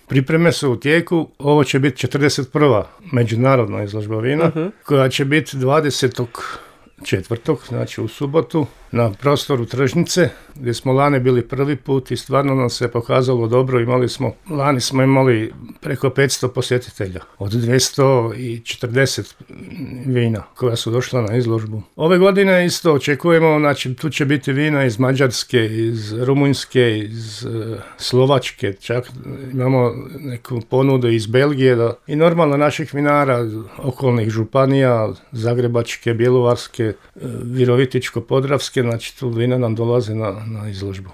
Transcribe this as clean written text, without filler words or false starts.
Pripreme su u tijeku, ovo će biti 41. međunarodna izložba vina, koja će biti 24. znači u subotu, na prostoru tržnice, gdje smo lani bili prvi put i stvarno nam se pokazalo dobro. Lani smo imali preko 500 posjetitelja, od 240 vina koja su došla na izložbu. Ove godine isto očekujemo, znači tu će biti vina iz Mađarske, iz Rumunjske, iz Slovačke, čak imamo neku ponudu iz Belgije i normalno naših vinara, okolnih županija, Zagrebačke, Bjelovarske, Virovitičko-podravske, znači tu vina nam dolaze na izložbu.